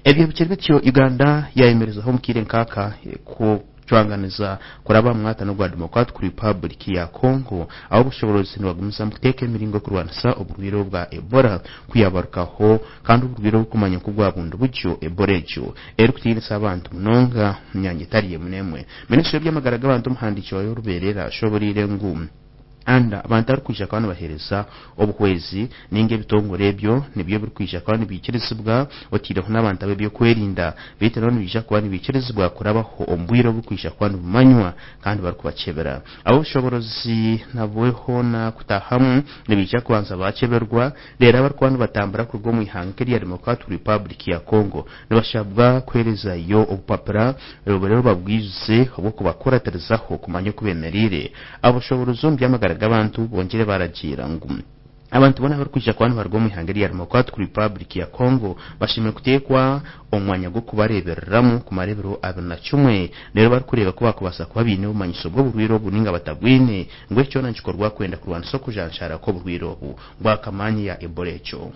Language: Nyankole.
Ebyo bikiri bityo, Uganda yayemerezaho omu kaire nk'aka kucwanganiza kuraba omu mwatano gwa Democratic Republic ya Congo ahu obushoboorozi nibagumizamu kuteeka emiringo y'okurwanisa oburwaire obwa Ebola kuyabarukaho kandi oburwaire oburikumanywa nk'obwa bundibugyo Ebola egyo erikutiinisa abantu munonga omu myanya etari emwe n'emwe. Minisitule y'eby'amagara g'abantu omuhandiiki waayo orubeerera ashoboreire ngu And abantu abarikwija kuba nibaheereza obuhwezi nainga ebitongore ebyo nibyo birikwija kuba nibiikirizibwa otaireho n'abantu ab'ebyokwerinda beitu nabo nibaija kuba nibiikirizibwa kurabaho omu bwire oburikwija kuba nibumanywa kandi barikubakyebera. Ab'obushoboorozi nabwo hoona kutaahamu nibaija kubanza baakyeberwa reero abarikuba nibatambura kuruga omu ihanga nk'erya Democratic Republic ya Congo nibashabwa kuheerezayo obupapura reero babwijuze obw'okubakuratirizaho kumanya oku beemereire. Abashoboorozi omu by'amagara g'abantu bongyire baaragiira ngu abantu boona abarikwija kuba nibaruga omu ihanga erya Democratic Republic ya Congo bashemereire kuteekwa omu mwanya gw'okubareebereramu kumara ebiro 21 reero barikureeba ku baakubaasa kuba baine obumanyiso bw'oburwaire obu nainga batabwine ngu ekyo kyona nikikorwa kwenda kurwanisa okujanjaara kw'oburwaire obu bwa kamaanya ya Ebola ekyo.